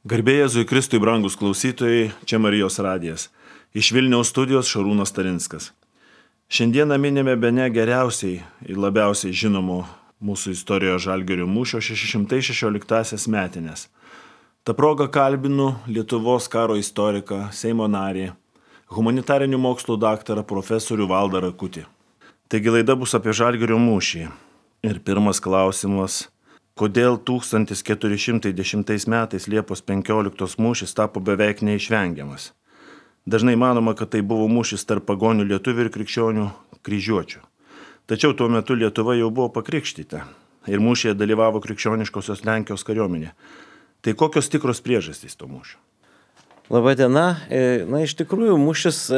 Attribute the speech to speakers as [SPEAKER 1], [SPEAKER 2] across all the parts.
[SPEAKER 1] Garbė Jėzui Kristui, brangus klausytojai, čia Marijos radijas. Iš Vilniaus studijos Šarūnas Tarinskas. Šiandieną minime bene geriausiai ir labiausiai žinomo mūsų istorijoje Žalgirio mūšio 616 metinės. Ta proga kalbinu Lietuvos karo istoriką, Seimo narį, humanitarinių mokslų daktarą profesorių Valdą Rakutį. Taigi laida bus apie Žalgirio mūšį. Ir pirmas klausimas: kodėl 1410 metais Liepos 15 mūšis tapo beveik neišvengiamas? Dažnai manoma, kad tai buvo mūšis tarp pagonių lietuvių ir krikščionių kryžiuočių. Tačiau tuo metu Lietuva jau buvo pakrikštyta ir mūšyje dalyvavo krikščioniškosios Lenkijos kariuomenė. Tai kokios tikros priežastys to mūšio?
[SPEAKER 2] Labadiena. Iš tikrųjų mūšis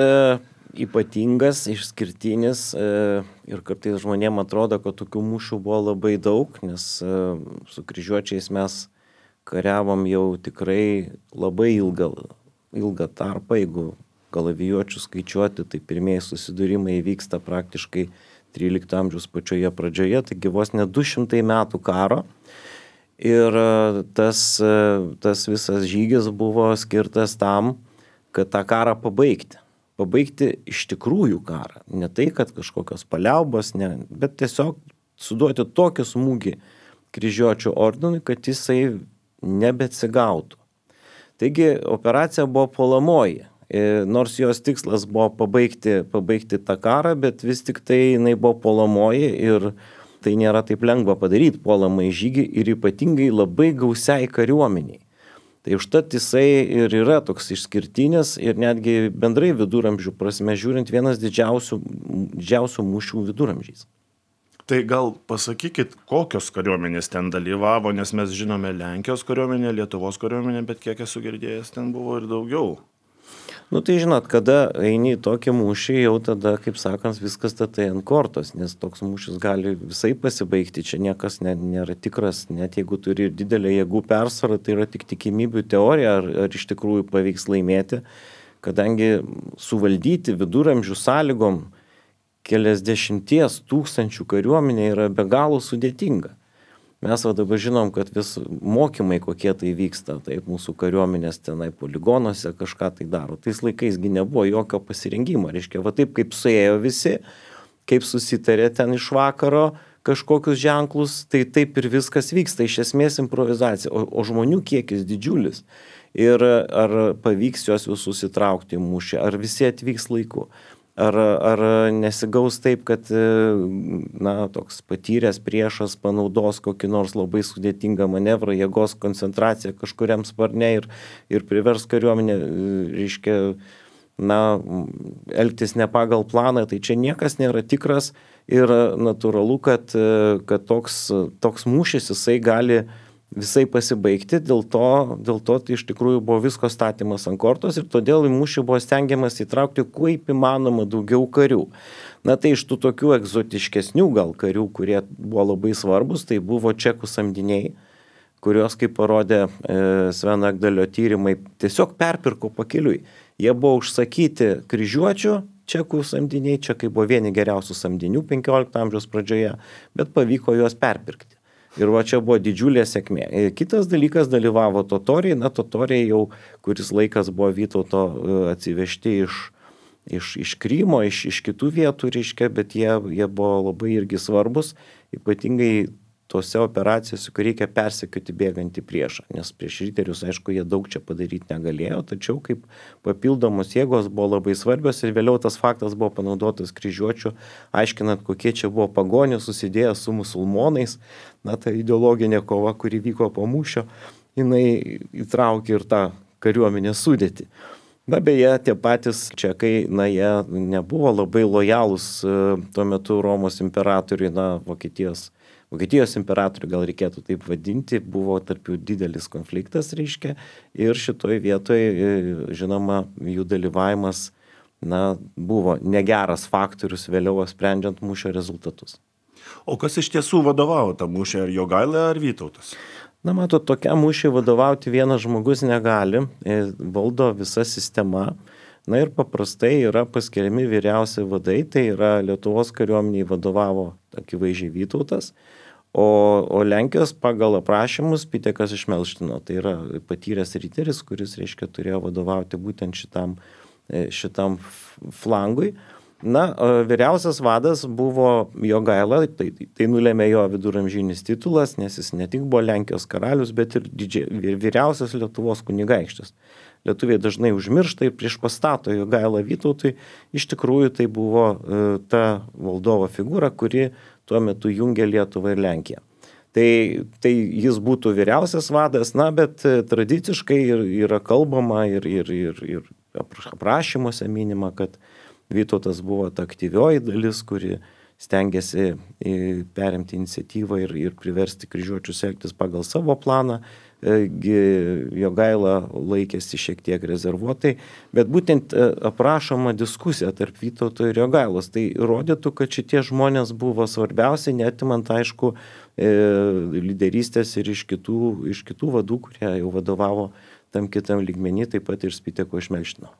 [SPEAKER 2] ypatingas, išskirtinis ir kartais žmonėms atrodo, kad tokių mūšių buvo labai daug, nes su kryžiuočiais mes kariavom jau tikrai labai ilgą tarpą. Jeigu kalavijuočių skaičiuoti, tai pirmieji susidūrimai vyksta praktiškai 13 amžiaus pačioje pradžioje, taigi vos ne 200 metų karo. Ir tas visas žygis buvo skirtas tam, kad tą karą pabaigti. Pabaigti iš tikrųjų karą. Ne tai, kad kažkokios paliaubos, bet tiesiog suduoti tokį smūgį kryžiuočių ordinui, kad jisai nebeatsigautų. Taigi operacija buvo puolamoji. Nors jos tikslas buvo pabaigti tą karą, bet vis tik tai jinai buvo puolamoji ir tai nėra taip lengva padaryti puolamąjį žygį ir ypatingai labai gausiai kariuomeniai. Tai užtat jisai ir yra toks išskirtinis ir netgi bendrai viduramžių prasme žiūrint vienas didžiausių mūšių viduramžiais.
[SPEAKER 1] Tai gal pasakykit, kokios kariuomenės ten dalyvavo, nes mes žinome Lenkijos kariuomenę, Lietuvos kariuomenę, bet kiek esu girdėjęs, ten buvo ir daugiau.
[SPEAKER 2] Tai žinot, kada eini į tokį mūšį, jau tada, kaip sakant, viskas statai ant kortos, nes toks mūšis gali visai pasibaigti, čia niekas nėra tikras, net jeigu turi ir didelę jėgų persvarą, tai yra tik tikimybių teorija, ar iš tikrųjų pavyks laimėti, kadangi suvaldyti viduramžių sąlygom keliasdešimties tūkstančių kariuomenė yra be galo sudėtinga. Mes dabar žinom, kad vis mokymai kokie tai vyksta, taip mūsų kariuomenės tenai poligonuose kažką tai daro. Tais laikaisgi nebuvo jokio pasirengimo, reiškia, taip kaip suėjo visi, kaip susitarė ten iš vakaro kažkokius ženklus, tai taip ir viskas vyksta, iš esmės improvizacija, o žmonių kiekis didžiulis. Ir ar pavyks juos visus įtraukti į mūšį, ar visi atvyks laiku. Ar nesigaus taip, kad toks patyręs priešas panaudos kokį nors labai sudėtingą manevrą, jėgos koncentraciją kažkuriam sparne ir privers kariuomenę, reiškia, elgtis ne pagal planą, tai čia niekas nėra tikras ir natūralu, kad toks mūšis jisai gali visai pasibaigti, dėl to tai iš tikrųjų buvo visko statymas ant kortos ir todėl į mūšį buvo stengiamas įtraukti kaip įmanoma daugiau karių. Tai iš tų tokių egzotiškesnių gal karių, kurie buvo labai svarbus, tai buvo čekų samdiniai, kurios, kaip parodė Sveno Ekdalio tyrimai, tiesiog perpirko pakeliui. Jie buvo užsakyti kryžiuočių, čekų samdiniai, čekai buvo vieni geriausių samdinių 15 amžiaus pradžioje, bet pavyko juos perpirkti. Ir čia buvo didžiulė sėkmė. Kitas dalykas dalyvavo totoriai. Totoriai jau kuris laikas buvo Vytauto atsivežti iš Krymo, iš kitų vietų, reiškia, bet jie buvo labai irgi svarbus, ypatingai tose operacijose, kur reikia persekioti bėgantį priešą, nes prieš riterius, aišku, jie daug čia padaryti negalėjo, tačiau kaip papildomos jėgos buvo labai svarbios ir vėliau tas faktas buvo panaudotas kryžiuočių, aiškinant, kokie čia buvo pagonys susidėję su musulmonais. Ta ideologinė kova, kuri vyko po mūšio, jinai įtraukė ir tą kariuomenės sudėtį. Beje, tie patys čekai, jie nebuvo labai lojalūs tuo metu Romos imperatoriui, Vokietijos imperatoriui, gal reikėtų taip vadinti, buvo tarp jų didelis konfliktas, reiškia, ir šitoj vietoje, žinoma, jų dalyvavimas, buvo negeras faktorius vėliau sprendžiant mūšio rezultatus.
[SPEAKER 1] O kas iš tiesų vadovavo tą mūšį, ar Jogaila, ar Vytautas?
[SPEAKER 2] Tokiam mūšiui vadovauti vienas žmogus negali, valdo visa sistema. Ir paprastai yra paskiriami vyriausi vadai, tai yra Lietuvos kariuomeniai vadovavo akivaizdžiai Vytautas, O Lenkijos pagal aprašymus Pitekas iš Melštino, tai yra patyręs riteris, kuris, reiškia, turėjo vadovauti būtent šitam flangui. Na, vyriausias vadas buvo Jogaila, tai nulėmė jo viduramžinis titulas, nes jis ne tik buvo Lenkijos karalius, bet ir vyriausias Lietuvos kunigaikštis. Lietuviai dažnai užmiršta ir priešpastato Jogailą Vytautui. Iš tikrųjų tai buvo ta valdovo figūra, kuri tuo metu jungė Lietuvą ir Lenkiją. Tai jis būtų vyriausias vadas, na, bet tradiciškai yra kalbama ir aprašymuose minima, kad Vytautas buvo ta aktyvioji dalis, kuri stengiasi perimti iniciatyvą ir priversti kryžiuočius elgtis pagal savo planą. Jogaila laikėsi šiek tiek rezervuotai, bet būtent aprašoma diskusija tarp Vytauto ir Jogailos. Tai rodytų, kad šitie žmonės buvo svarbiausi, neatimant, aišku, lyderystės ir iš kitų vadų, kurie jau vadovavo tam kitam lygmenį, taip pat ir Spiteko iš Melštino.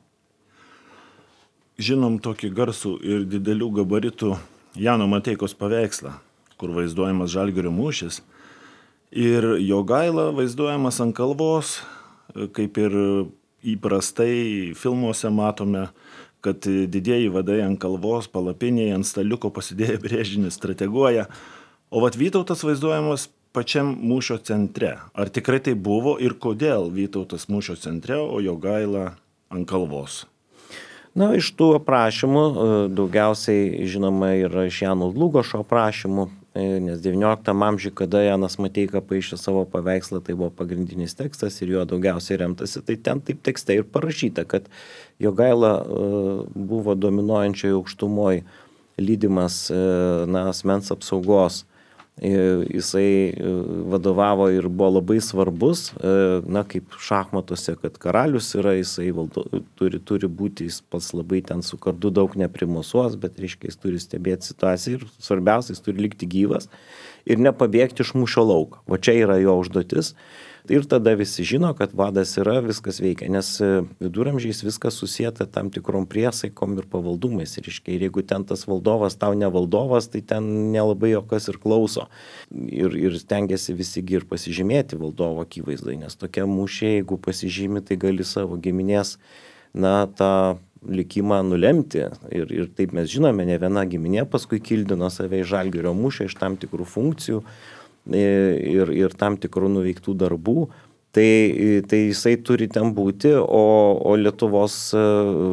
[SPEAKER 1] Žinom tokį garsų ir didelių gabaritų Jano Mateikos paveikslą, kur vaizduojamas Žalgirio mūšis. Ir Jogaila vaizduojamas ant kalvos, kaip ir įprastai filmuose matome, kad didieji vadai ant kalvos, palapinėje, ant staliuko pasidėję brėžinį strateguoja. O Vytautas vaizduojamas pačiam mūšio centre. Ar tikrai tai buvo ir kodėl Vytautas mūšio centre, o Jogaila ant kalvos?
[SPEAKER 2] Na, iš tų aprašymų daugiausiai žinoma yra iš Jano Dlugošo aprašymų, nes 19 amžiuje, kada Janas Mateika paišė savo paveikslą, tai buvo pagrindinis tekstas ir juo daugiausiai remtasi. Tai ten taip tekste ir parašyta, kad Jogaila buvo dominuojančioje aukštumoje lydimas asmens apsaugos. Jisai vadovavo ir buvo labai svarbus, kaip šachmatuose, kad karalius yra, jisai turi būti, jis pats labai ten su kardu daug neprimusuos, bet reiškia, jis turi stebėti situaciją ir svarbiausia, jis turi likti gyvas ir nepabėgti iš mūšio lauko. O čia yra jo užduotis. Ir tada visi žino, kad vadas yra, viskas veikia, nes viduramžiais viskas susieta tam tikrom priesaikom ir pavaldumais. Ir jeigu ten tas valdovas tau ne valdovas, tai ten nelabai jo kas ir klauso. Ir stengiasi visigi ir pasižymėti valdovo akivaizdai, nes tokia mūšė, jeigu pasižymi, tai gali savo giminės, tą likimą nulemti. Ir taip mes žinome, ne viena giminė paskui kildino save į Žalgirio mūšį iš tam tikrų funkcijų ir tam tikrų nuveiktų darbų, tai jisai turi ten būti, o Lietuvos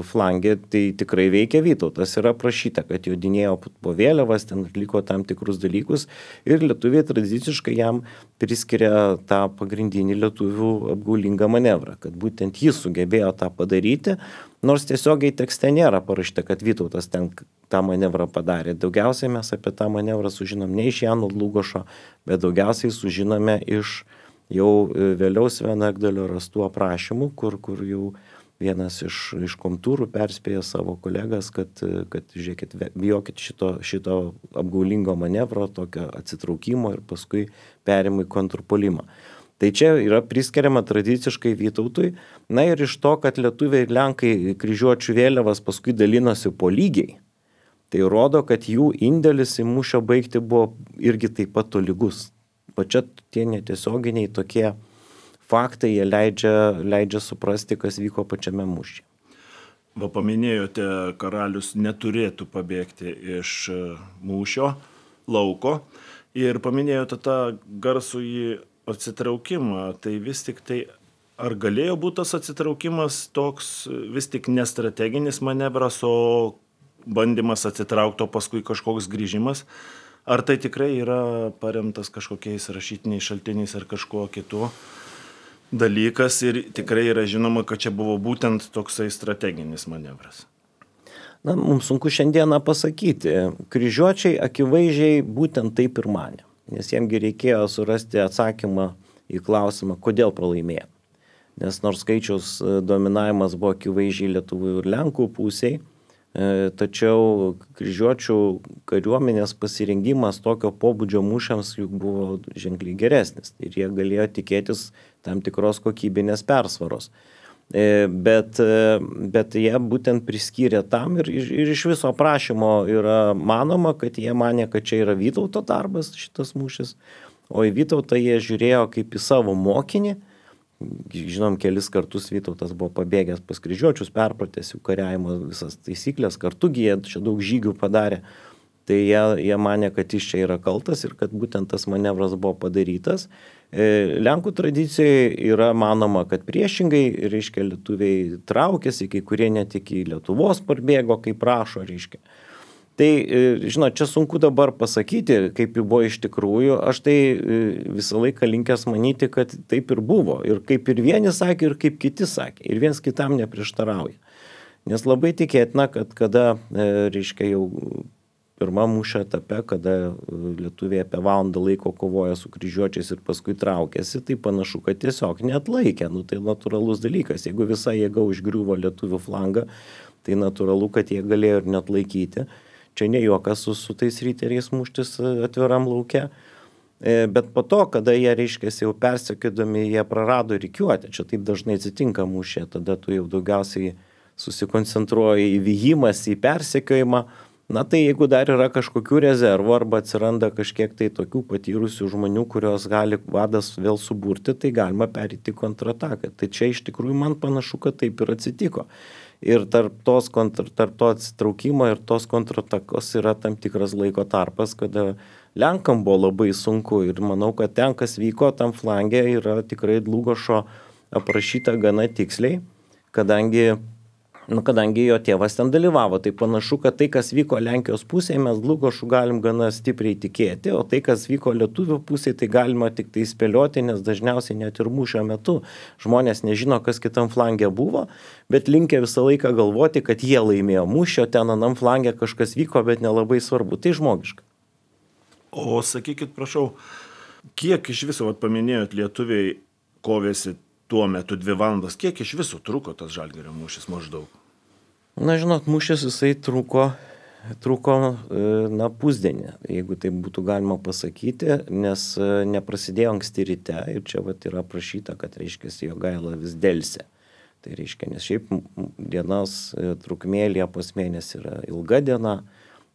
[SPEAKER 2] flangė tai tikrai veikia Vytautas. Yra aprašyta, kad jodinėjo po vėliavas, ten atliko tam tikrus dalykus ir lietuviai tradiciškai jam priskiria tą pagrindinį lietuvių apgaulingą manevrą, kad būtent jis sugebėjo tą padaryti, nors tiesiogiai tekste nėra parašyta, kad Vytautas ten tą manevrą padarė. Daugiausiai mes apie tą manevrą sužinom ne iš Jano Dlugošo, bet daugiausiai sužinome iš jau vėliau Sveno Egdalio rastų aprašymų, kur jau vienas iš komtūrų perspėja savo kolegas, kad žiūrėkit, bijokit šito apgaulingo manevro, tokio atsitraukimo ir paskui perimui kontrpuolimą. Tai čia yra priskiriama tradiciškai Vytautui. Na ir iš to, kad lietuviai ir lenkai kryžiuočių vėliavas paskui dalinosi po lygiai, tai rodo, kad jų indėlis į mūšio baigtį buvo irgi taip pat tolygus. Pačia tie netiesioginiai tokie faktai, jie leidžia suprasti, kas vyko pačiame mūšyje.
[SPEAKER 1] Paminėjote, karalius neturėtų pabėgti iš mūšio lauko ir paminėjote tą garsųjį atsitraukimą. Tai vis tik tai, ar galėjo būti tas atsitraukimas toks vis tik nestrateginis manevras, o bandymas atsitraukti, o paskui kažkoks grįžimas? Ar tai tikrai yra paremtas kažkokiais rašytiniais šaltiniais ar kažkuo kitu dalykas ir tikrai yra žinoma, kad čia buvo būtent toksai strateginis manevras?
[SPEAKER 2] Na, mums sunku šiandieną pasakyti. Kryžiuočiai akivaizdžiai būtent taip ir manė, nes jiemgi reikėjo surasti atsakymą į klausimą, kodėl pralaimėjo. Nes nors skaičiaus dominavimas buvo akivaizdžiai lietuvių ir lenkų pusiai, tačiau kryžiuočių kariuomenės pasirengimas tokio pobūdžio mūšiams juk buvo ženkliai geresnis ir jie galėjo tikėtis tam tikros kokybinės persvaros. Bet jie būtent priskyrė tam ir iš viso aprašymo yra manoma, kad jie manė, kad čia yra Vytauto darbas šitas mūšis, o į Vytautą jie žiūrėjo kaip į savo mokinį. Žinom, kelis kartus Vytautas buvo pabėgęs pas kryžiuočius, perpratęs jų kariavimo visas taisyklės, kartu jie čia daug žygių padarė. Tai jie manė, kad jis čia yra kaltas ir kad būtent tas manevras buvo padarytas. Lenkų tradicijoje yra manoma, kad priešingai, reiškia, lietuviai traukėsi, kai kurie net iki Lietuvos parbėgo, kaip rašo, reiškia. Tai, žinot, čia sunku dabar pasakyti, kaip jau buvo iš tikrųjų. Aš tai visą laiką linkęs manyti, kad taip ir buvo. Ir kaip ir vieni sakė, ir kaip kiti sakė. Ir viens kitam neprieštarauja. Nes labai tikėtina, kad kada, reiškia, jau pirmą mūšio etape, kada lietuviai apie valandą laiko kovoja su kryžiuočiais ir paskui traukėsi, tai panašu, kad tiesiog neatlaikė. Tai natūralus dalykas. Jeigu visa jėga užgriuvo lietuvių flangą, tai natūralu, kad jie galėjo ir neatlaikyti. Čia ne juokas su tais riteriais muštis atviram lauke. Bet po to, kada jie, reiškia, jau persekiodami, jie prarado rikiuotę. Čia taip dažnai atsitinka mūšė. Tada tu jau daugiausiai susikoncentruoji į vijimas, į persekiojimą. Na tai jeigu dar yra kažkokių rezervų arba atsiranda kažkiek tai tokių patyrusių žmonių, kurios gali vadas vėl suburti, tai galima perėti kontrataką. Tai čia iš tikrųjų man panašu, kad taip ir atsitiko. Ir tarp to atsitraukimo ir tos kontratakos yra tam tikras laiko tarpas, kada Lenkam buvo labai sunku. Ir manau, kad ten, kas vyko tam flange, yra tikrai Dlugošo aprašyta gana tiksliai, kadangi jo tėvas ten dalyvavo. Tai panašu, kad tai, kas vyko Lenkijos pusėje, mes Dlugošu galim gana stipriai tikėti, o tai, kas vyko lietuvių pusėje, tai galima tik tai spėlioti, nes dažniausiai net ir mūšio metu žmonės nežino, kas kitam flangė buvo, bet linkę visą laiką galvoti, kad jie laimėjo mūšio, ten anam flangė kažkas vyko, bet nelabai svarbu. Tai žmogiška.
[SPEAKER 1] O sakykit, prašau, kiek iš viso, paminėjot, lietuviai kovėsi tuo metu 2 valandas, kiek iš viso truko tas Žalgirio mūšis maždaug?
[SPEAKER 2] Na, žinot, mūšis jisai truko pusdienį, jeigu tai būtų galima pasakyti, nes neprasidėjo anksti ryte ir čia yra aprašyta, kad, reiškia, Jogaila vis delsė. Tai reiškia, nes šiaip dienos trukmė Liepos mėnesį yra ilga diena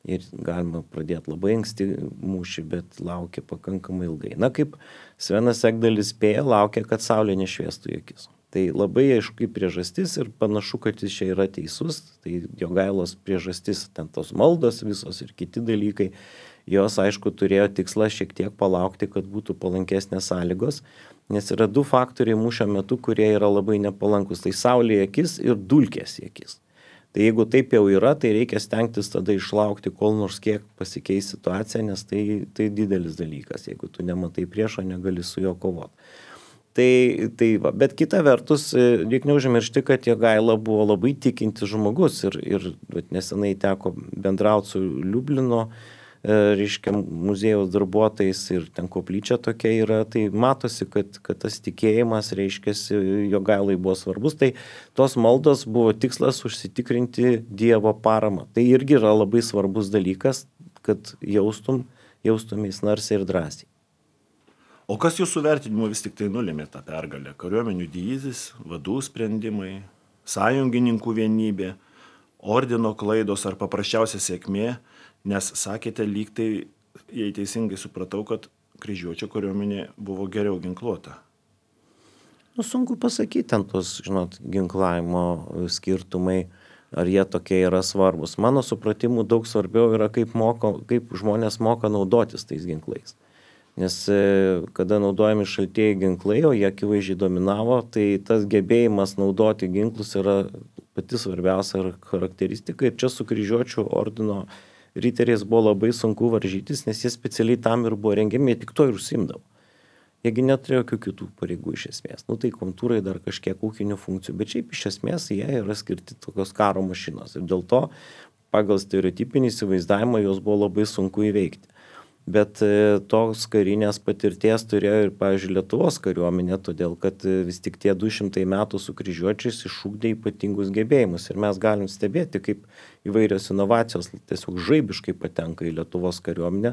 [SPEAKER 2] ir galima pradėti labai anksti mūšį, bet laukia pakankamai ilgai. Na, kaip Svenas Ekdalis spėja, laukia, kad saulė nešviestų į akis. Tai labai aišku priežastis ir panašu, kad jis čia yra teisus. Tai Jogailos priežastis, ten tos maldos visos ir kiti dalykai, jos aišku turėjo tikslą šiek tiek palaukti, kad būtų palankesnės sąlygos, nes yra 2 faktoriai mūšio metu, kurie yra labai nepalankus. Tai saulė į akis ir dulkės į akis. Tai jeigu taip jau yra, tai reikia stengtis tada išlaukti, kol nors kiek pasikeis situacija, nes tai didelis dalykas. Jeigu tu nematai priešo, negali su juo kovoti. Bet kita vertus, reikia neužmiršti, kad Jogaila buvo labai tikintis žmogus ir nesenai teko bendrauti su Liublino, reiškia, muziejaus darbuotojais ir ten koplyčia tokia yra, tai matosi, kad tas tikėjimas, reiškia, Jogailai buvo svarbus, tai tos maldos buvo tikslas užsitikrinti Dievo paramą. Tai irgi yra labai svarbus dalykas, kad jaustumės narsiai ir drąsiai.
[SPEAKER 1] O kas jūsų vertinimu vis tik tai nulėmė tą pergalę? Kariuomenių dydis, vadų sprendimai, sąjungininkų vienybė, ordino klaidos ar paprasčiausia sėkmė, nes sakėte lyg tai, jei teisingai supratau, kad kryžiuočio kariuomenė buvo geriau ginkluota.
[SPEAKER 2] Sunku pasakyti, ten tos, žinot, ginklavimo skirtumai, ar jie tokie yra svarbus. Mano supratimu daug svarbiau yra, kaip žmonės moka naudotis tais ginklais. Nes kada naudojami šaltieji ginklai, o jie akivaizdžiai dominavo, tai tas gebėjimas naudoti ginklus yra pati svarbiausia charakteristika. Ir čia su kryžiuočių ordino riteriais buvo labai sunku varžytis, nes jie specialiai tam ir buvo rengiami, jie tik to ir užsiimdavo. Jiegi neturėjo jokių kitų pareigų iš esmės. Tai kontūrai dar kažkiek ūkinių funkcijų, bet šiaip iš esmės jie yra skirti tokios karo mašinos. Ir dėl to pagal stereotipinį įsivaizdavimą jos buvo labai sunku įveikti. Bet tos karinės patirties turėjo ir, pavyzdžiui, Lietuvos kariuomenė, todėl kad vis tik tie 200 metų su kryžiuočiais išugdė ypatingus gebėjimus. Ir mes galim stebėti, kaip įvairios inovacijos tiesiog žaibiškai patenka į Lietuvos kariuomenę,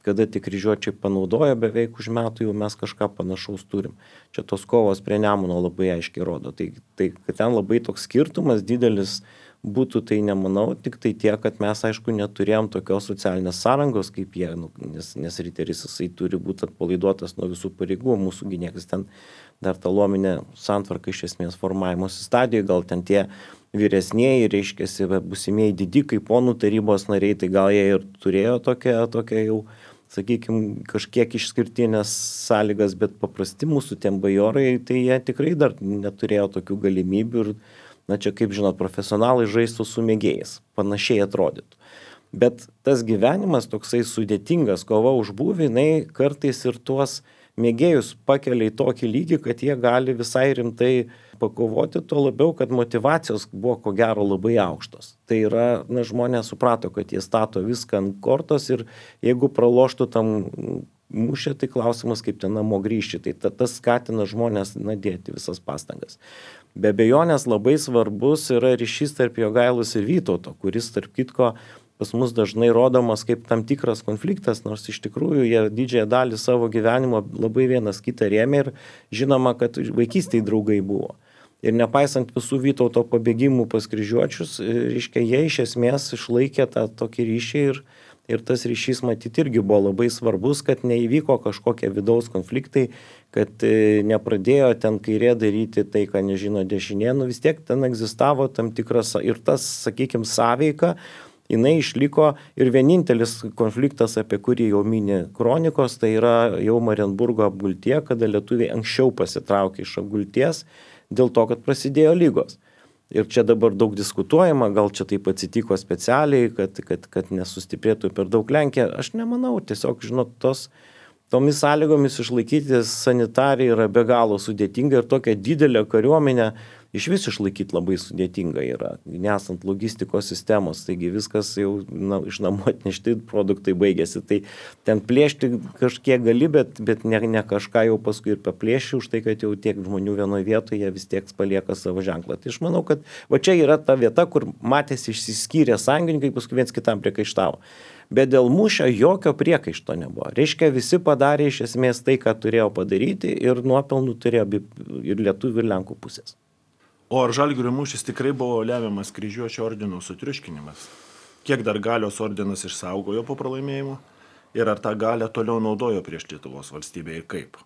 [SPEAKER 2] kada tik kryžiuočiai panaudojo, beveik už metų jau mes kažką panašaus turim. Čia tos kovos prie Nemuno labai aiškiai rodo. Tai kad ten labai toks skirtumas didelis būtų, tai nemanau, tik tai tiek, kad mes, aišku, neturėjom tokios socialinės sąrangos kaip jie, nes riteris jisai turi būti atpalaiduotas nuo visų pareigų, mūsų niekas ten dar ta luominė santvarka iš esmės formavimosi stadijoje, gal ten tie vyresnieji, reiškiasi, būsimieji didikai, ponų tarybos nariai, tai gal jie ir turėjo tokią jau, sakykime, kažkiek išskirtinės sąlygas, bet paprasti mūsų tiem bajorai, tai jie tikrai dar neturėjo tokių galimybių ir, čia kaip žinot, profesionalai žaistų su mėgėjais, panašiai atrodytų. Bet tas gyvenimas toksai sudėtingas, kova už būvį, jinai kartais ir tuos mėgėjus pakelia į tokį lygį, kad jie gali visai rimtai pakovoti, tuo labiau, kad motyvacijos buvo ko gero labai aukštos. Tai yra, žmonės suprato, kad jie stato viską ant kortos ir jeigu praloštų tam mūšį, tai klausimas, kaip ten namo grįžti. Tai tas skatina žmonės dėti visas pastangas. Be abejonės labai svarbus yra ryšys tarp Jogailos ir Vytauto, kuris, tarp kitko, pas mus dažnai rodomas kaip tam tikras konfliktas, nors iš tikrųjų jie didžiąją dalį savo gyvenimo labai vienas kitą rėmė ir žinoma, kad vaikystėje draugai buvo. Ir nepaisant visų Vytauto pabėgimų pas kryžiuočius, reiškia, jie iš esmės išlaikė tą tokį ryšį ir tas ryšys matyti irgi buvo labai svarbus, kad neįvyko kažkokie vidaus konfliktai, kad nepradėjo ten kairė daryti tai, ką nežino dešinė, vis tiek ten egzistavo tam tikras ir tas, sakykime, sąveika, jinai išliko ir vienintelis konfliktas, apie kurį jau mini kronikos, tai yra jau Marienburgo apgultie, kada lietuviai anksčiau pasitraukė iš apgulties dėl to, kad prasidėjo lygos. Ir čia dabar daug diskutuojama, gal čia taip atsitiko specialiai, kad nesustiprėtų per daug Lenkija. Aš nemanau, tiesiog, žinot, tomis sąlygomis išlaikyti sanitariją yra be galo sudėtinga ir tokia didelė kariuomenė iš vis išlaikyti labai sudėtinga yra, nesant logistikos sistemos, taigi viskas jau iš namų atnešti produktai baigėsi, tai ten plėšti kažkiek gali, bet ne kažką jau paskui ir paplėši už tai, kad jau tiek žmonių vienoje vietoje jie vis tiek palieka savo ženklą. Tai aš manau, kad va čia yra ta vieta, kur matėsi išsiskyrė sąjungininkai, paskui viens kitam priekaištavo. Bet dėl mūšio jokio priekaišto nebuvo. Reiškia, visi padarė iš esmės tai, ką turėjo padaryti ir nuopelnų turėjo ir lietuvių ir lenkų pusės.
[SPEAKER 1] O ar Žalgirio mūšis tikrai buvo lemiamas kryžiuočio ordino sutriuškinimas? Kiek dar Galios ordinas išsaugojo po pralaimėjimo? Ir ar tą galią toliau naudojo prieš Lietuvos valstybę ir kaip?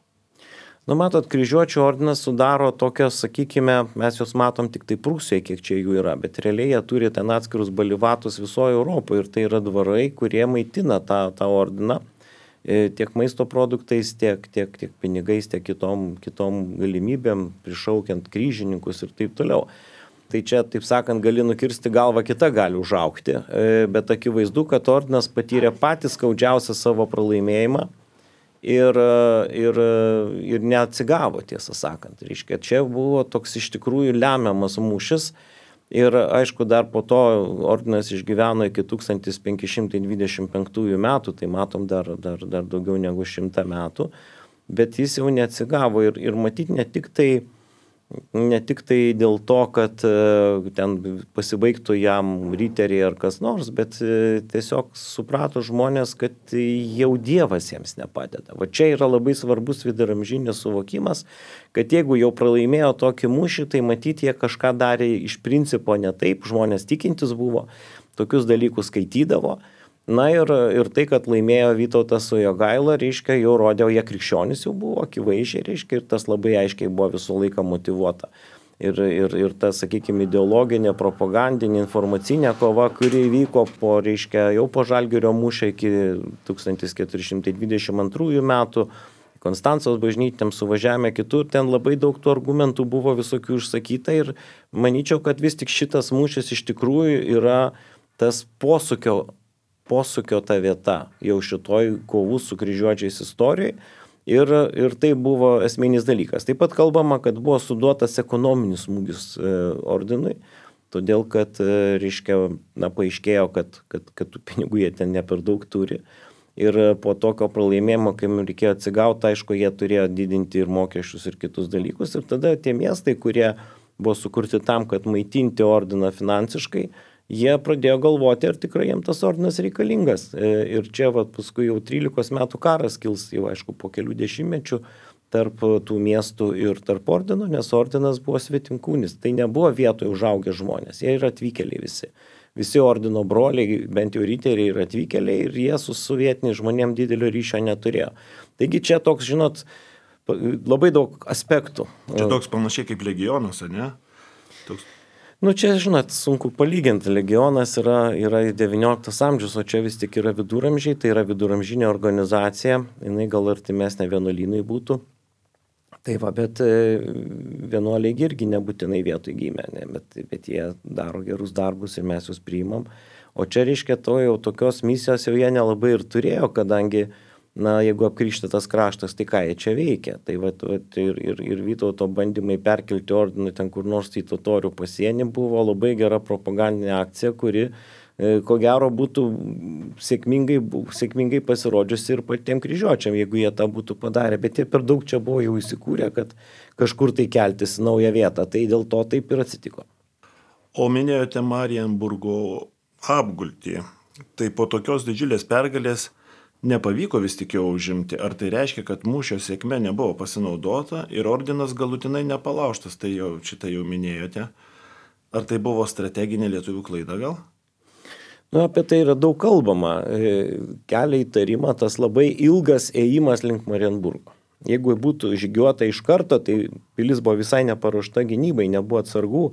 [SPEAKER 2] Matot, kryžiuočio ordinas sudaro tokios, sakykime, mes juos matom tik tai Prūsijoje, kiek čia jų yra, bet realiai jie turi ten atskirus balivatus visoje Europoje ir tai yra dvarai, kurie maitina tą ordiną. Tiek maisto produktais, tiek pinigais, tiek kitom galimybėm, prišaukiant kryžininkus ir taip toliau. Tai čia, taip sakant, gali nukirsti galvą, kita gali užaukti, bet akivaizdu, kad ordinas patyrė patį skaudžiausią savo pralaimėjimą ir neatsigavo, tiesą sakant. Reiškia, čia buvo toks iš tikrųjų lemiamas mūšis. Ir aišku, dar po to ordinas išgyveno iki 1525 metų, tai matom dar daugiau negu 100 metų, bet jis jau neatsigavo ir matyti ne tik tai dėl to, kad ten pasibaigtų jam riteriai ar kas nors, bet tiesiog suprato žmonės, kad jau Dievas jiems nepadeda. Va čia yra labai svarbus viduramžinis suvokimas, kad jeigu jau pralaimėjo tokį mūšį, tai matyti jie kažką darė iš principo ne taip, žmonės tikintis buvo, tokius dalykus skaitydavo. Na ir tai, kad laimėjo Vytautas su Jogaila, reiškia, jau rodė, jie krikščionys jau buvo akivaizdžiai, reiškia, ir tas labai aiškiai buvo visą laiką motyvuota. Ir ta, sakykime, ideologinė, propagandinė, informacinė kova, kuri vyko reiškia, jau po Žalgirio mūšio iki 1422 metų, Konstancos bažnytėm suvažiavome kitur, ten labai daug tų argumentų buvo visokių išsakyta ir manyčiau, kad vis tik šitas mūšis iš tikrųjų yra tas posūkio ta vieta jau šitoj kovų su kryžiuočiais istorijai ir tai buvo esminis dalykas. Taip pat kalbama, kad buvo suduotas ekonominis smūgis ordinui, todėl kad, reiškia, paaiškėjo, kad tų pinigų jie ten ne per daug turi. Ir po tokio pralaimėjimo, kai reikėjo atsigauti, aišku, jie turėjo didinti ir mokesčius ir kitus dalykus. Ir tada tie miestai, kurie buvo sukurti tam, kad maitinti ordiną finansiškai, jie pradėjo galvoti, ar tikrai jiems tas ordinas reikalingas. Ir čia paskui jau 13 metų karas kils, jau aišku, po kelių dešimtmečių tarp tų miestų ir tarp ordino, nes ordinas buvo svetimkūnis. Tai nebuvo vietoje užaugę žmonės, jie yra atvykėliai visi. Visi ordino broliai, bent jau riteriai yra atvykėliai ir jie su sovietiniais žmonėm didelio ryšio neturėjo. Taigi čia toks, žinot, labai daug aspektų.
[SPEAKER 1] Čia toks panašiai kaip legionas, ne? Toks...
[SPEAKER 2] Čia, žinot, sunku palyginti. Legionas yra 19 amžius, o čia vis tik yra viduramžiai, tai yra viduramžinė organizacija, jinai gal artimesnė vienuolynui būtų. Tai bet vienuoliai irgi nebūtinai vietoj gimė, bet jie daro gerus darbus ir mes juos priimam. O čia reiškia jau tokios misijos jau jie nelabai ir turėjo, kadangi, jeigu apkrikštytas kraštas, tai ką jie čia veikia. Tai ir Vytauto bandymai perkelti ordinų ten kur nors į totorių pasienį buvo labai gera propagandinė akcija, kuri ko gero būtų sėkmingai pasirodžiusi ir patiem kryžiuočiam, jeigu jie tą būtų padarę, bet jie per daug čia buvo jau įsikūrę, kad kažkur tai keltis į naują vietą, tai dėl to taip ir atsitiko.
[SPEAKER 1] O minėjote Marienburgo apgultį, tai po tokios didžiulės pergalės nepavyko vis tik jau užimti, ar tai reiškia, kad mūšio sėkme nebuvo pasinaudota ir ordinas galutinai nepalaužtas, tai jau šitą jau minėjote, ar tai buvo strateginė lietuvių klaida gal?
[SPEAKER 2] Apie tai yra daug kalbama. Kelia įtarimą tas labai ilgas ėjimas link Marienburgo. Jeigu būtų žygiuota iš karto, tai pilis buvo visai neparuošta gynybai, nebuvo atsargų.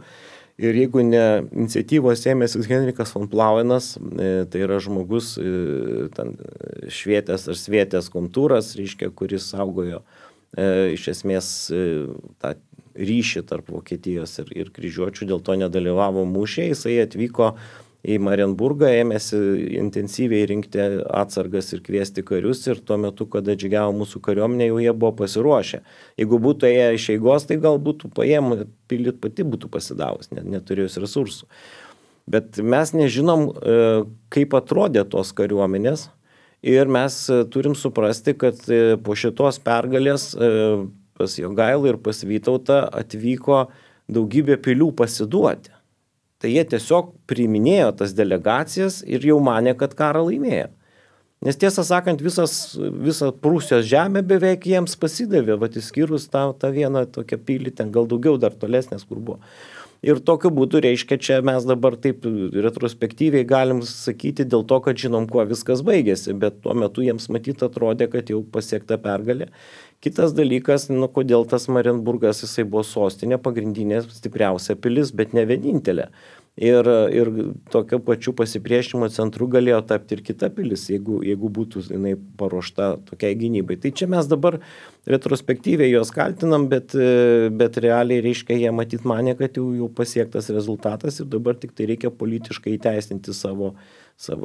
[SPEAKER 2] Ir jeigu ne iniciatyvos ėmėsi Henrikas von Plauenas, tai yra žmogus švietės ar svietės kontūras, reiškia, kuris saugojo iš esmės tą ryšį tarp Vokietijos ir kryžiuočių, dėl to nedalyvavo mūšyje, jisai atvyko į Marienburgą, ėmėsi intensyviai rinkti atsargas ir kviesti karius ir tuo metu, kada žygiavo mūsų kariuomenė, jau jie buvo pasiruošę. Jeigu būtų ėję iš eigos, tai gal būtų paėmę, pilį pati būtų pasidavus, neturėjus resursų. Bet mes nežinom, kaip atrodė tos kariuomenės ir mes turim suprasti, kad po šitos pergalės pas Jogailą ir pas Vytautą atvyko daugybė pilių pasiduoti. Tai jie tiesiog priiminėjo tas delegacijas ir jau manė, kad karą laimėjo. Nes tiesą sakant, visa Prūsijos žemė beveik jiems pasidavė, išskyrus tą vieną tokią pilį, ten gal daugiau dar tolesnės, kur buvo. Ir tokiu būdu reiškia, čia mes dabar taip retrospektyviai galim sakyti dėl to, kad žinom, kuo viskas baigėsi, bet tuo metu jiems matyt atrodė, kad jau pasiekta pergalė. Kitas dalykas, kodėl tas Marienburgas, jisai buvo sostinė, pagrindinė stipriausia pilis, bet ne vienintelė. Ir tokiu pačiu pasipriešinimo centru galėjo tapti ir kita pilis, jeigu būtų jinai paruošta tokiai gynybai. Tai čia mes dabar retrospektyviai juos kaltinam, bet realiai reiškia, jie matyt manė, kad jau pasiektas rezultatas ir dabar tik tai reikia politiškai įteisinti savo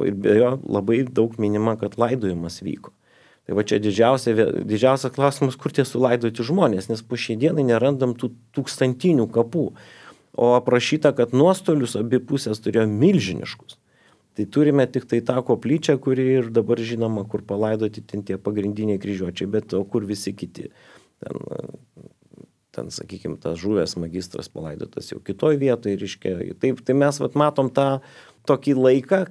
[SPEAKER 2] ir be jo labai daug minima, kad laidojimas vyko. Tai va čia didžiausias klausimas, kur tie sulaidoti žmonės, nes po šiai dienai nerandam tų tūkstantinių kapų. O aprašyta, kad nuostolius abi pusės turėjo milžiniškus. Tai turime tik tai tą koplyčią, kuri ir dabar žinoma, kur palaidoti ten tie pagrindiniai kryžiuočiai, bet o kur visi kiti. Ten sakykime, tas žuvęs magistras palaidotas jau kitoj vietoje. Taip, tai mes matom tą tokį laiką,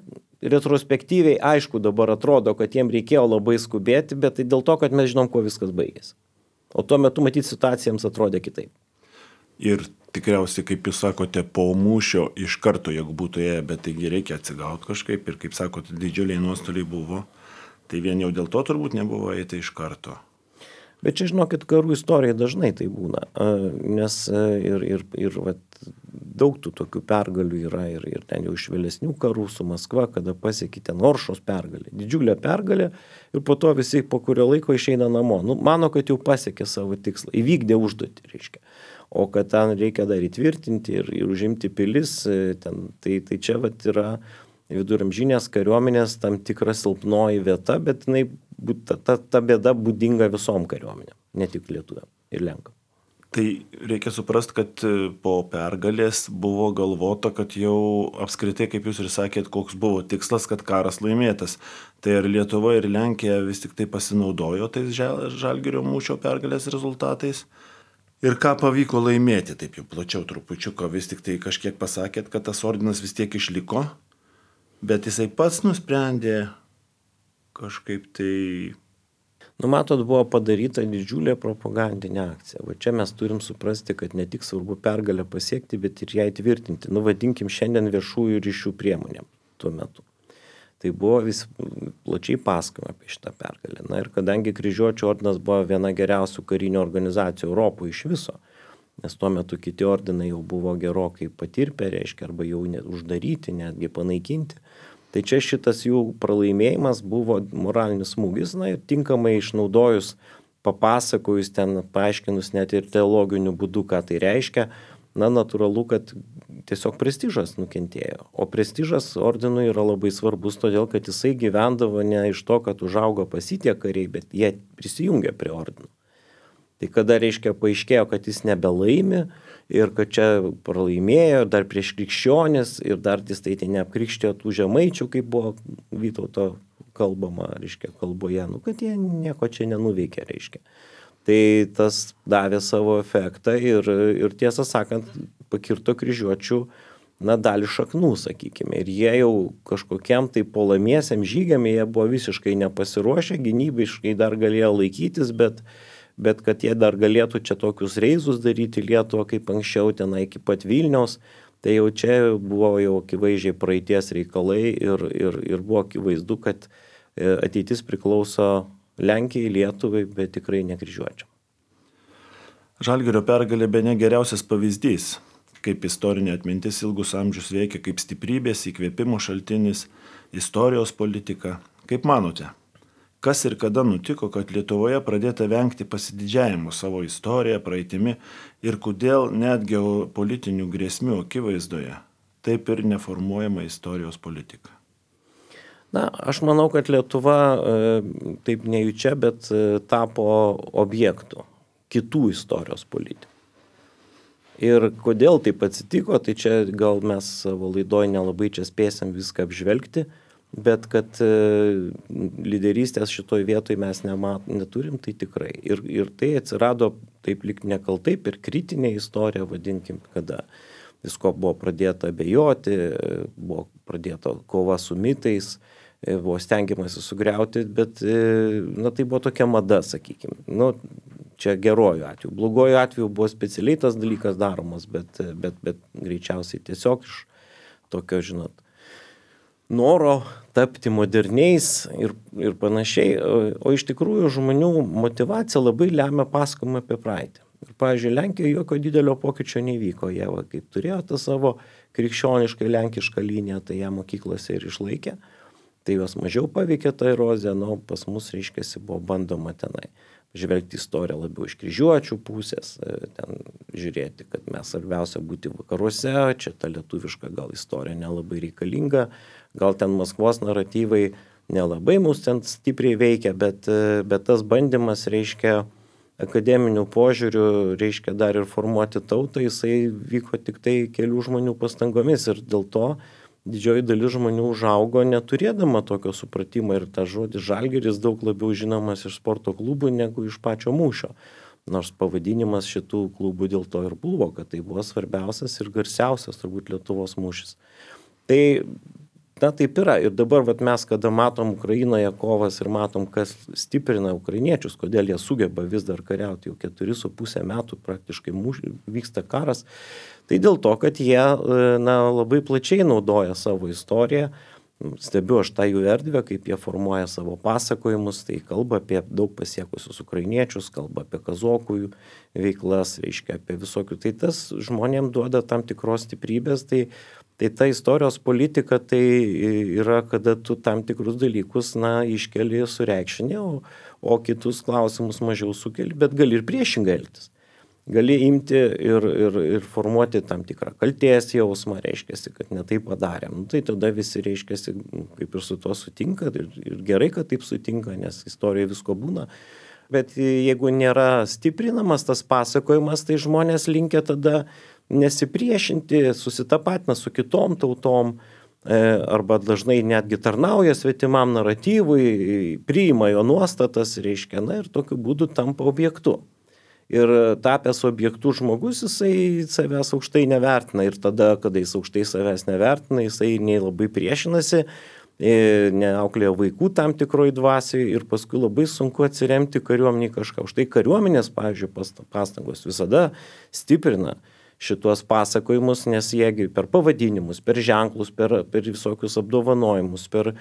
[SPEAKER 2] retrospektyviai aišku dabar atrodo, kad jiem reikėjo labai skubėti, bet tai dėl to, kad mes žinom, kuo viskas baigėsi. O tuo metu matyti situacija jiems atrodė kitaip.
[SPEAKER 1] Ir tikriausiai, kaip jūs sakote, po mūšio iš karto, jeigu būtų ėję, bet taigi reikia atsigauti kažkaip ir, kaip sakote, didžiuliai nuostoliai buvo, tai vien jau dėl to turbūt nebuvo eiti iš karto.
[SPEAKER 2] Bet čia, žinokit, karų istorija dažnai tai būna, nes ir daug tų tokių pergalių yra ir ten jau iš vėlesnių karų su Maskva, kada pasiekė ten Oršos pergalė, didžiulė pergalė ir po to visi po kurio laiko išeina namo. Mano, kad jau pasiekė savo tikslą, įvykdė užduotį, reiškia. O kad ten reikia dar įtvirtinti ir užimti pilis, tai čia yra viduramžinės kariuomenės tam tikra silpnoji vieta, bet ta bėda būdinga visom kariuomenėm, ne tik lietuviam ir lenkam.
[SPEAKER 1] Tai reikia suprasti, kad po pergalės buvo galvota, kad jau apskritai, kaip jūs ir sakėt, koks buvo tikslas, kad karas laimėtas. Tai ar Lietuva ir Lenkija vis tik tai pasinaudojo tais Žalgirio mūšio pergalės rezultatais? Ir ką pavyko laimėti, taip jau plačiau trupučiuką, vis tik tai kažkiek pasakėt, kad tas ordinas vis tiek išliko, bet jisai pats nusprendė kažkaip tai...
[SPEAKER 2] Matot, buvo padaryta didžiulė propagandinė akcija. Va čia mes turim suprasti, kad ne tik svarbu pergalę pasiekti, bet ir ją įtvirtinti. Vadinkim šiandien viešųjų ryšių priemonėm tuo metu. Tai buvo vis plačiai pasakojama apie šitą pergalę. Ir kadangi Kryžiuočių ordinas buvo viena geriausių karinių organizacijų Europoje iš viso, nes tuo metu kiti ordinai jau buvo gerokai patirpę, reiškia, arba jau uždaryti, netgi panaikinti, tai čia šitas jų pralaimėjimas buvo moralinis smūgis, ir tinkamai išnaudojus, papasakojus ten, paaiškinus net ir teologiniu būdu, ką tai reiškia, natūralu, kad tiesiog prestižas nukentėjo. O prestižas ordinui yra labai svarbus, todėl kad jisai gyvendavo ne iš to, kad užaugo pasitie kariai, bet jie prisijungė prie ordino. Tai kada, reiškia, paaiškėjo, kad jis nebelaimi ir kad čia pralaimėjo dar prieš krikščionis ir dar jis tai neapkrikštijo tų žemaičių, kaip buvo Vytauto kalbama, reiškia, kalboje, kad jie nieko čia nenuveikė, reiškia. Tai tas davė savo efektą ir tiesą sakant, pakirto Kryžiuočių, dalį šaknų, sakykime. Ir jie jau kažkokiam tai puolamiesiam žygiam, jie buvo visiškai nepasiruošę, gynybiškai dar galėjo laikytis, bet kad jie dar galėtų čia tokius reizus daryti Lietuvą kaip anksčiau tenai iki pat Vilniaus, tai jau čia buvo jau akivaizdžiai praeities reikalai ir buvo akivaizdu, kad ateitis priklauso Lenkijai, Lietuvai, bet tikrai ne Kryžiuočiam.
[SPEAKER 1] Žalgirio pergalė bene geriausias pavyzdys, kaip istorinė atmintis ilgus amžius veikia kaip stiprybės, įkvėpimo šaltinis, istorijos politika. Kaip manote, kas ir kada nutiko, kad Lietuvoje pradėta vengti pasididžiavimo savo istoriją, praeitimi ir kodėl net geopolitinių grėsmių akivaizdoje taip ir neformuojama istorijos politika?
[SPEAKER 2] Aš manau, kad Lietuva taip nejučia, bet tapo objektų kitų istorijos politikų. Ir kodėl taip atsitiko, tai čia gal mes savo laidoj nelabai čia spėsim viską apžvelgti, bet kad lyderystės šitoj vietoj mes neturim, tai tikrai. Ir tai atsirado taip lyg nekaltai per kritinę istoriją, vadinkim, kada visko buvo pradėta abejoti, buvo pradėta kova su mitais, buvo stengiamasi sugriauti, bet tai buvo tokia mada, sakykime. Čia geruoju atveju. Blogoju atveju buvo specialiai tas dalykas daromas, bet greičiausiai tiesiog iš tokio, noro tapti moderniais ir panašiai. O iš tikrųjų žmonių motyvacija labai lemia pasakojimą apie praeitį. Ir, pavyzdžiui, Lenkijoje jokio didelio pokyčio nevyko. Jie, kaip turėjo tą savo krikščionišką lenkišką liniją, tai ją mokyklose ir išlaikė. Tai juos mažiau paveikė ta erozija, pas mus, reiškiasi, buvo bandoma tenai žvelgti istoriją labiau iš Kryžiuočių pusės, ten žiūrėti, kad mes svarbiausia būti vakaruose, čia ta lietuviška gal istorija nelabai reikalinga, gal ten Maskvos naratyvai nelabai mus ten stipriai veikia, bet tas bandymas, reiškia, akademinių požiūrių, reiškia, dar ir formuoti tautą, jisai vyko tik tai kelių žmonių pastangomis ir dėl to didžioji dalis žmonių užaugo neturėdama tokio supratimo ir tas žodis Žalgiris daug labiau žinomas iš sporto klubų negu iš pačio mūšio. Nors pavadinimas šitų klubų dėl to ir buvo, kad tai buvo svarbiausias ir garsiausias turbūt Lietuvos mūšis. Tai taip yra. Ir dabar mes, kada matom Ukrainoje kovas ir matom, kas stiprina ukrainiečius, kodėl jie sugeba vis dar kariauti, jau 4,5 metų praktiškai vyksta karas, tai dėl to, kad jie labai plačiai naudoja savo istoriją. Stebiu aš tą jų erdvę, kaip jie formuoja savo pasakojimus, tai kalba apie daug pasiekusius ukrainiečius, kalba apie kazokų veiklas, reiškia apie visokių. Tai tas žmonėm duoda tam tikros stiprybės, tai ta istorijos politika tai yra, kada tu tam tikrus dalykus iškeli sureikšinį, o kitus klausimus mažiau sukeli, bet gali ir priešingai elgtis. Gali imti ir formuoti tam tikrą kaltės jausmą, reiškiasi, kad ne taip padarėm. Tai tada visi, reiškiasi, kaip ir su tuo sutinka ir gerai, kad taip sutinka, nes istorijoje visko būna. Bet jeigu nėra stiprinamas tas pasakojimas, tai žmonės linkia tada nesipriešinti, susitapatina su kitom tautom, arba dažnai netgi tarnauja svetimam naratyvui, priima jo nuostatas, reiškia, ir tokiu būdu tampa objektu. Ir tapęs objektų žmogus, jisai savęs aukštai nevertina. Ir tada, kada jis aukštai savęs nevertina, jisai nei labai priešinasi, neauklėja vaikų tam tikroj dvasiai ir paskui labai sunku atsiremti kariuomeniai kažką. Už tai kariuomenės, pavyzdžiui, pastangos visada stiprina šituos pasakojimus, nes jiegi per pavadinimus, per ženklus, per visokius apdovanojimus, per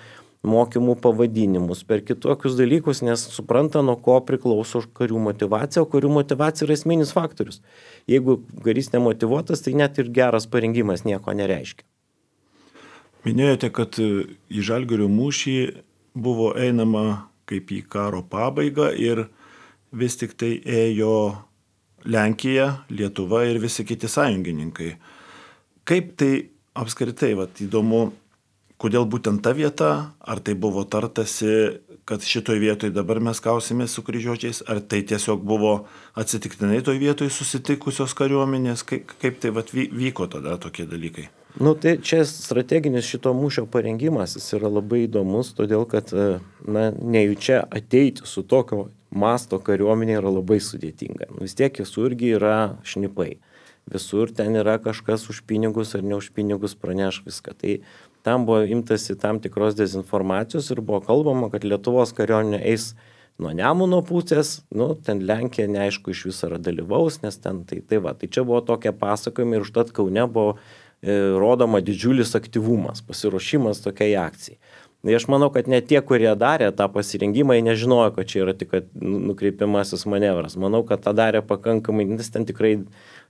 [SPEAKER 2] mokymų pavadinimus, per kitokius dalykus, nes supranta, nuo ko priklauso karių motyvacija, o karių motyvacija yra esminis faktorius. Jeigu karys nemotyvuotas, tai net ir geras parengimas nieko nereiškia.
[SPEAKER 1] Minėjote, kad į Žalgirio mūšį buvo einama kaip į karo pabaigą ir vis tik tai ėjo Lenkija, Lietuva ir visi kiti sąjungininkai. Kaip tai apskritai, įdomu, kodėl būtent ta vieta, ar tai buvo tartasi, kad šitoj vietoj dabar mes kausimės su kryžiuočiais, ar tai tiesiog buvo atsitiktinai toj vietoj susitikusios kariuomenės, kaip tai vyko tada tokie dalykai?
[SPEAKER 2] Tai čia strateginis šito mūšio parengimas, jis yra labai įdomus, todėl kad nejučia ateiti su tokio masto kariuomenė yra labai sudėtinga. Vis tiek visur irgi yra šnipai. Visur ten yra kažkas už pinigus ar ne už pinigus praneš viską. Tai tam buvo imtasi tam tikros dezinformacijos ir buvo kalbama, kad Lietuvos kariuomenė eis nuo Nemuno pusės, ten Lenkija neaišku iš viso dalyvaus, nes ten tai čia buvo tokie pasakojimai ir užtat Kaune buvo rodoma didžiulis aktyvumas, pasiruošimas tokiai akcijai. Aš manau, kad net tie, kurie darė tą pasirengimą, jie nežinojo, kad čia yra tik nukreipiamasis manevras. Manau, kad tą darė pakankamai, nes ten tikrai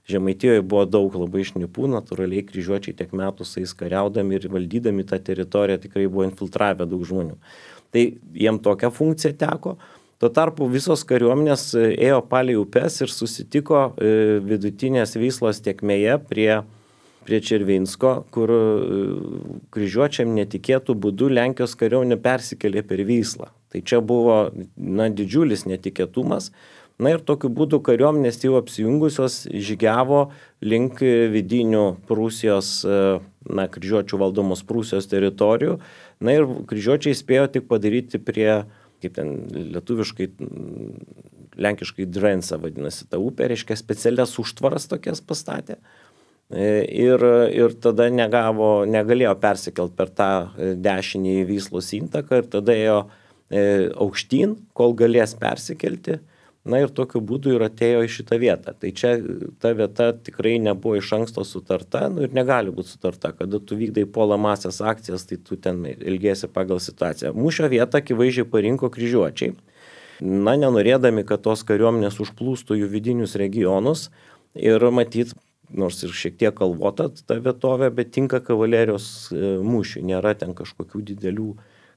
[SPEAKER 2] Žemaitijoje buvo daug labai šnipų, natūraliai kryžiuočiai tiek metų su jais kariaudami ir valdydami tą teritoriją tikrai buvo infiltravę daug žmonių. Tai jiem tokią funkciją teko. Tuo tarpu visos kariuomenės ėjo palei upes ir susitiko vidutinės Vyslos tėkmėje prie Červinsko, kur kryžiuočiam netikėtų būdų Lenkijos kariuomenė persikėlė per Vyslą. Tai čia buvo didžiulis netikėtumas. Ir tokiu būdu kariuomenės jau apsijungusios žygiavo link vidinių Prūsijos, kryžiuočių valdomos Prūsijos teritorijų. Ir kryžiuočiai spėjo tik padaryti prie, kaip ten lietuviškai, lenkiškai Drensa vadinasi ta upė, reiškia specialias užtvaras tokias pastatė. Ir tada negalėjo persikelt per tą dešinį Vyslos intaką ir tada ėjo aukštyn, kol galės persikelti. Ir tokiu būdu ir atėjo į šitą vietą. Tai čia ta vieta tikrai nebuvo iš anksto sutarta ir negali būti sutarta. Kada tu vykdai puolamąsias akcijas, tai tu ten elgiesi pagal situaciją. Mūšio vietą akivaizdžiai parinko kryžiuočiai. Nenorėdami, kad tos kariuomenės užplūstų jų vidinius regionus ir matyt, nors ir šiek tiek kalvota ta vietovė, bet tinka kavalerijos mūšiui. Nėra ten kažkokių didelių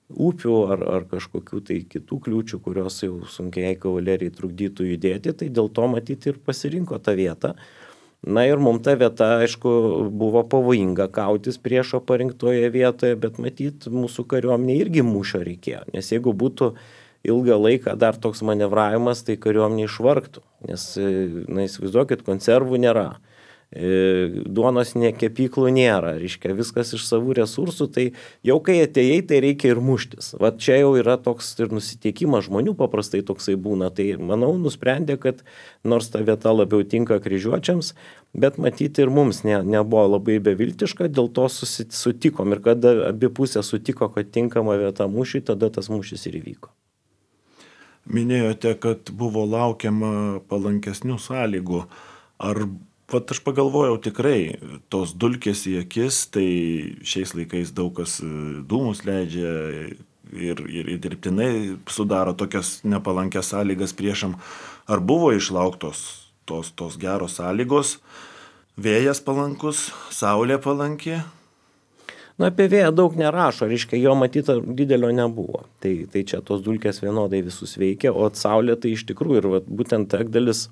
[SPEAKER 2] upių ar kažkokių tai kitų kliūčių, kurios jau sunkiai kavalerijai trukdytų judėti, tai dėl to matyti ir pasirinko tą vietą. Ir mums ta vieta, aišku, buvo pavojinga kautis priešo parinktoje vietoje, bet matyt, mūsų kariuomenė irgi mūšio reikėjo, nes jeigu būtų ilgą laiką dar toks manevravimas, tai kariuomenė išvargtų, nes, įsivaizduokit, konservų nėra. Duonos kepyklų nėra, reiškia viskas iš savų resursų, tai jau kai atėjai, tai reikia ir muštis. Čia jau yra toks ir nusiteikimas žmonių paprastai toksai būna, tai manau nusprendė, kad nors ta vieta labiau tinka kryžiuočiams, bet matyti ir mums nebuvo labai beviltiška, dėl to sutikom ir kada abi pusės sutiko, kad tinkama vieta mūšiui, tada tas mūšis ir įvyko.
[SPEAKER 1] Minėjote, kad buvo laukiama palankesnių sąlygų. Aš pagalvojau tikrai, tos dulkės į akis, tai šiais laikais daug kas dūmus leidžia ir dirbtinai sudaro tokias nepalankės sąlygas priešam. Ar buvo išlauktos tos geros sąlygos, vėjas palankus, saulė palanki?
[SPEAKER 2] Apie vėją daug nerašo, reiškia, jo matyta didelio nebuvo. Tai čia tos dulkės vienodai visus veikia, o saulė tai iš tikrųjų ir būtent Ekdalis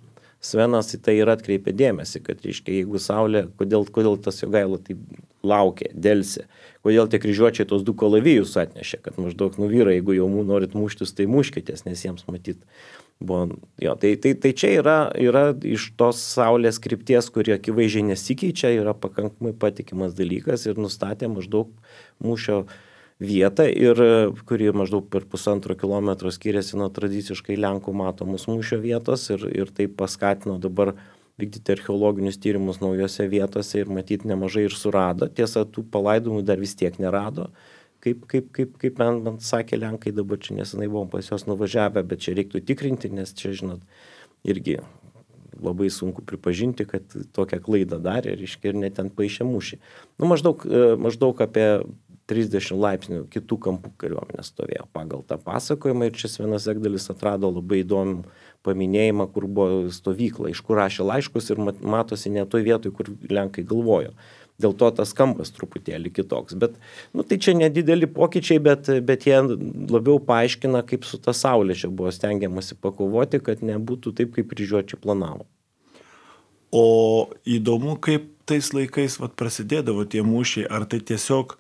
[SPEAKER 2] Svenas į tai ir atkreipė dėmesį, kad, reiškia, jeigu saulė, kodėl tas Jogaila taip laukė, delsė, kodėl tie kryžiuočiai tos du kalavijus atnešė, kad maždaug vyrai, jeigu jau norit muštis, tai muškitės, nes jiems matyt buvo. Tai čia yra iš tos saulės krypties, kuri akivaizdžiai nesikeičia, yra pakankamai patikimas dalykas ir nustatė maždaug mūšio vietą ir kuri maždaug per 1,5 kilometro skiriasi nuo tradiciškai Lenkų matomos mūšio vietos ir tai paskatino dabar vykdyti archeologinius tyrimus naujose vietose ir matyti nemažai ir surado. Tiesa, tų palaidojimų dar vis tiek nerado. Kaip man sakė Lenkai, dabar čia nesenai buvom pas juos nuvažiavę, bet čia reiktų tikrinti, nes čia, žinot, irgi labai sunku pripažinti, kad tokią klaidą darė, ir net ten paišė mūšį. Maždaug apie 30 laipsnių kitų kampų kariuomenė stovėjo pagal tą pasakojimą ir čia Svenas Egdalis atrado labai įdomų paminėjimą, kur buvo stovykla, iš kur rašė laiškus ir matosi ne toj vietoj, kur Lenkai galvojo. Dėl to tas kampas truputėlį kitoks. Bet, tai čia nedideli pokyčiai, bet jie labiau paaiškina, kaip su ta saulė čia buvo stengiamasi pakovoti, kad nebūtų taip, kaip kryžiuočiai planavo.
[SPEAKER 1] O įdomu, kaip tais laikais prasidėdavo tie mūšiai, ar tai tiesiog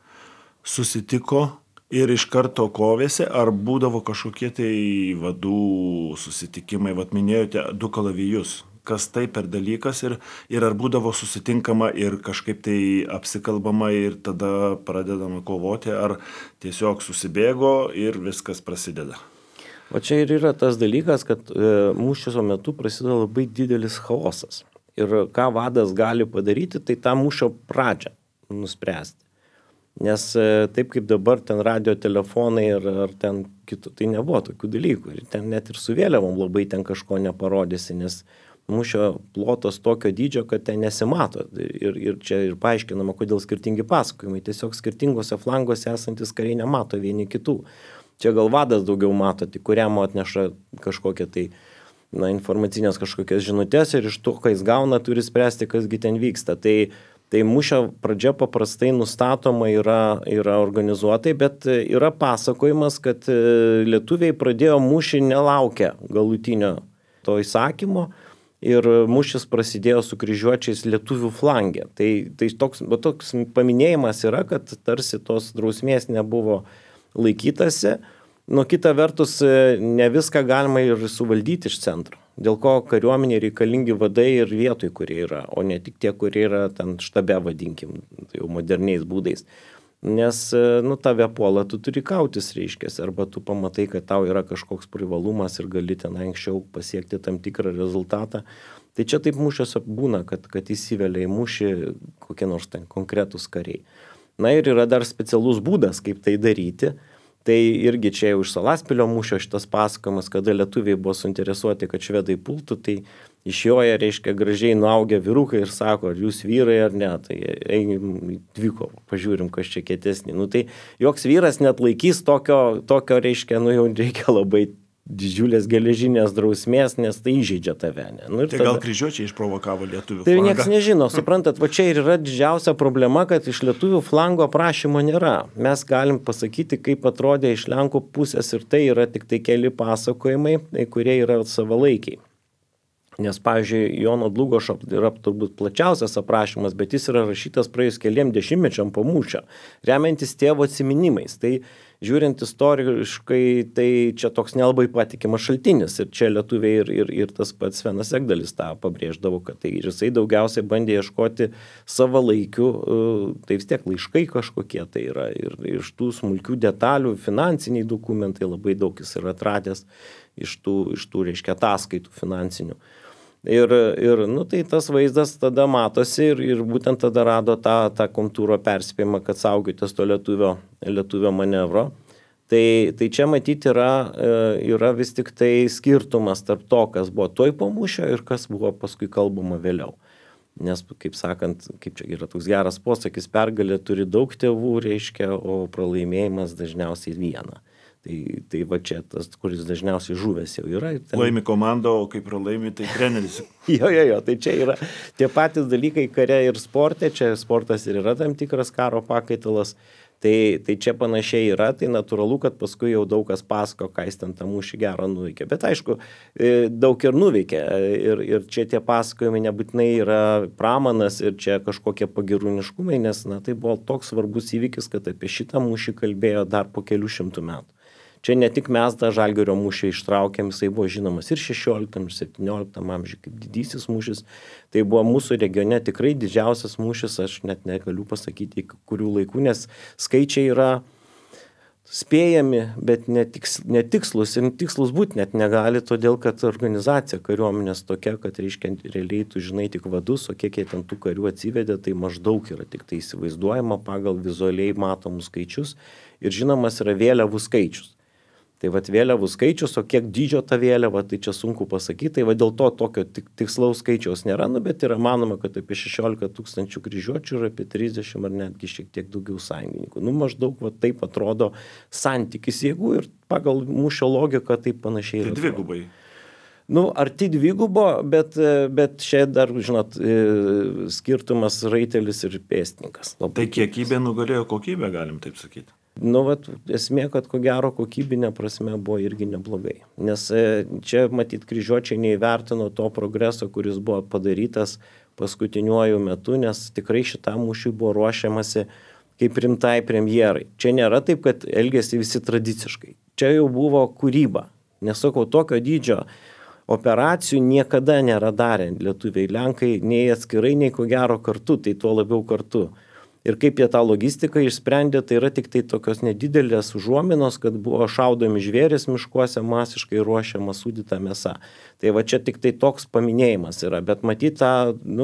[SPEAKER 1] susitiko ir iš karto kovėsi, ar būdavo kažkokie tai vadų susitikimai, minėjote 2 kalavijus. Kas tai per dalykas ir ar būdavo susitinkama ir kažkaip tai apsikalbama ir tada pradedama kovoti, ar tiesiog susibėgo ir viskas prasideda.
[SPEAKER 2] O čia ir yra tas dalykas, kad mūšio metu prasideda labai didelis chaosas. Ir ką vadas gali padaryti, tai tą mūšio pradžią nuspręsti. Nes taip kaip dabar ten radio telefonai ar ten kitų, tai nebuvo tokių dalykų. Ir ten net ir su vėliavom labai ten kažko neparodysi, nes mūšio plotas tokio dydžio, kad ten nesimato. Ir čia ir paaiškinama, kodėl skirtingi pasakojimai. Tiesiog skirtingose flanguose esantis kariai nemato vieni kitų. Čia gal vadas daugiau mato, tai kuriam atneša kažkokią tai informacinės kažkokias žinutės ir iš to, ką jis gauna, turi spręsti, kasgi ten vyksta. Tai mūšio pradžia paprastai nustatoma yra organizuotai, bet yra pasakojimas, kad lietuviai pradėjo mūšį nelaukę galutinio to įsakymo ir mūšis prasidėjo su kryžiuočiais lietuvių flangė. Tai toks paminėjimas yra, kad tarsi tos drausmės nebuvo laikytasi. Nuo kita vertus, ne viską galima ir suvaldyti iš centro. Dėl ko kariuomenė reikalingi vadai ir vietoj, kurie yra, o ne tik tie, kurie yra ten štabe, vadinkim, tai jau moderniais būdais. Nes, tave puola, tu turi kautis, reiškiasi, arba tu pamatai, kad tau yra kažkoks privalumas ir gali ten anksčiau pasiekti tam tikrą rezultatą. Tai čia taip mūšiuose būna, kad įsivelia į mūšį kokie nors ten konkretūs kariai. Ir yra dar specialus būdas, kaip tai daryti. Tai irgi čia jau iš Salaspilio mūšio šitas pasakojimas, kada lietuviai buvo suinteresuoti, kad švedai pultų, tai išjoja, reiškia, gražiai nuaugę vyrukai ir sako, ar jūs vyrai ar ne, tai eigim į dvikovą, pažiūrim, kas čia kietesnį. Tai joks vyras net laikys tokio reiškia, jau reikia labai didžiulės geležinės drausmės, nes tai įžeidžia tave. Ne?
[SPEAKER 1] Tai gal kryžiuočiai išprovokavo lietuvių flangą?
[SPEAKER 2] Tai nieks nežino, suprantat, čia ir yra didžiausia problema, kad iš lietuvių flango aprašymo nėra. Mes galim pasakyti, kaip atrodė iš Lenkų pusės ir tai yra tik tai keli pasakojimai, kurie yra savalaikiai. Nes, pavyzdžiui, Jono Dlugošo yra turbūt plačiausias aprašymas, bet jis yra rašytas praėjus keliem dešimtmečiam po mūšio, remiantis tėvo atsiminimais. Tai žiūrint istoriškai, tai čia toks nelabai patikimas šaltinis. Ir čia lietuviai ir tas pats Svenas Egdalis tą pabrėždavo, kad tai ir jisai daugiausiai bandė ieškoti savalaikių, tai vis tiek laiškai kažkokie tai yra. Ir iš tų smulkių detalių, finansiniai dokumentai labai daug jis yra atradęs iš tų reiškia, ataskaitų finansinių. Ir tai tas vaizdas tada matosi ir būtent tada rado tą kontūro perspėjimą, kad saugotės to lietuvio manevro. Tai čia matyti yra vis tik tai skirtumas tarp to, kas buvo toj po mūšio ir kas buvo paskui kalbama vėliau. Nes, kaip sakant, kaip čia yra toks geras posakis, pergalė turi daug tėvų, reiškia, o pralaimėjimas dažniausiai vieną. Tai va čia tas, kuris dažniausiai žuvęs jau yra.
[SPEAKER 1] Laimi komanda, o kaip pralaimi, tai treneris.
[SPEAKER 2] Jo, tai čia yra tie patys dalykai kare ir sporte, čia sportas ir yra tam tikras karo pakaitalas. Tai čia panašiai yra, tai natūralu, kad paskui jau daug kas pasako, ką jis ten tą mūšį gerą nuveikė. Bet aišku, daug ir nuveikė. Ir čia tie pasakojimai nebūtinai yra pramanas ir čia kažkokie pagirūniškumai, nes tai buvo toks svarbus įvykis, kad apie šitą mūšį kalbėjo dar po kelių šimtų metų. Čia ne tik mes tą Žalgirio mūšį ištraukėm, jisai buvo žinomas ir 16, ir 17 amžiuje kaip didysis mūšis. Tai buvo mūsų regione tikrai didžiausias mūšis, aš net negaliu pasakyti, kurių laikų, nes skaičiai yra spėjami, bet netikslus ir tikslus būti net negali, todėl kad organizacija kariuomenės tokia, kad reiškia realiai tu žinai tik vadus, o kiek jie ten tų karių atsivedė, tai maždaug yra tik tai įsivaizduojama pagal vizualiai matomus skaičius ir žinomas yra vėliavų skaičius. Tai vat vėliavų skaičius, o kiek dydžio ta vėliava, tai čia sunku pasakyti, tai va dėl to tokio tikslaus skaičiaus nėra, bet yra manoma, kad apie 16 000 kryžiuočių ir apie 30 ar netgi šiek tiek daugiau sąjungininkų. Maždaug va taip atrodo santykis jėgų ir pagal mūšio logiką taip panašiai.
[SPEAKER 1] Tai dvigubai.
[SPEAKER 2] Arti dvigubo, bet čia dar, žinot, skirtumas raitelis ir pėstininkas.
[SPEAKER 1] Tai kiekybė nugalėjo kokybę, galim taip sakyti.
[SPEAKER 2] Esmė, kad ko gero kokybinė prasme buvo irgi neblogai. Nes čia, matyt, kryžiuočiai neįvertino to progreso, kuris buvo padarytas paskutiniuoju metu, nes tikrai šitam mūšiui buvo ruošiamasi kaip rimtai premjerai. Čia nėra taip, kad elgėsi visi tradiciškai. Čia jau buvo kūryba. Nesakau, tokio dydžio operacijų niekada nėra darę lietuviai, lenkai, nei atskirai, nei ko gero kartu, tai tuo labiau kartu. Ir kaip jie tą logistiką išsprendė, tai yra tik tai tokios nedidelės užuominos, kad buvo šaudomi žvėrys miškuose, masiškai ruošiama sūdyta mėsa. Tai va čia tik tai toks paminėjimas yra, bet matyt,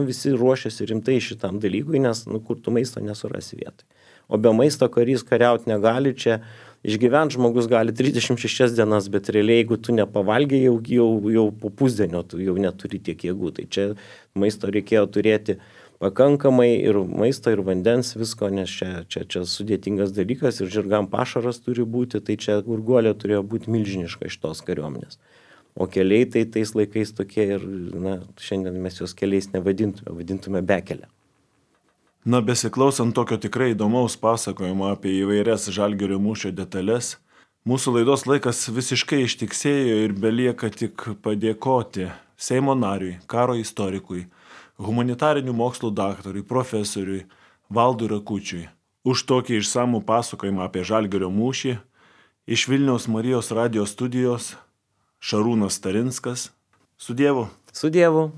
[SPEAKER 2] visi ruošiasi rimtai šitam dalykui, nes kur tu maisto nesurasi vietoj. O be maisto karys kariauti negali, čia išgyvent žmogus gali 36 dienas, bet realiai, jeigu tu nepavalgiai, jau po pusdienio tu jau neturi tiek jėgų. Tai čia maisto reikėjo turėti pakankamai ir maisto, ir vandens, visko, nes čia sudėtingas dalykas ir žirgam pašaras turi būti, tai čia Gurguolė turėjo būti milžiniška šitos kariuomenės. O keliai tai tais laikais tokie ir, šiandien mes jos keliais nevadintume, vadintume bekelę.
[SPEAKER 1] Besiklausant tokio tikrai įdomaus pasakojimo apie įvairias Žalgirio mūšio detalės, mūsų laidos laikas visiškai ištiksėjo ir belieka tik padėkoti Seimo nariui, karo istorikui, humanitarinių mokslų daktarui, profesoriui Valdui Rakučiui už tokį išsamų pasakojimą apie Žalgirio mūšį. Iš Vilniaus Marijos radijo studijos Šarūnas Starinskas. Su Dievu.
[SPEAKER 2] Su Dievu.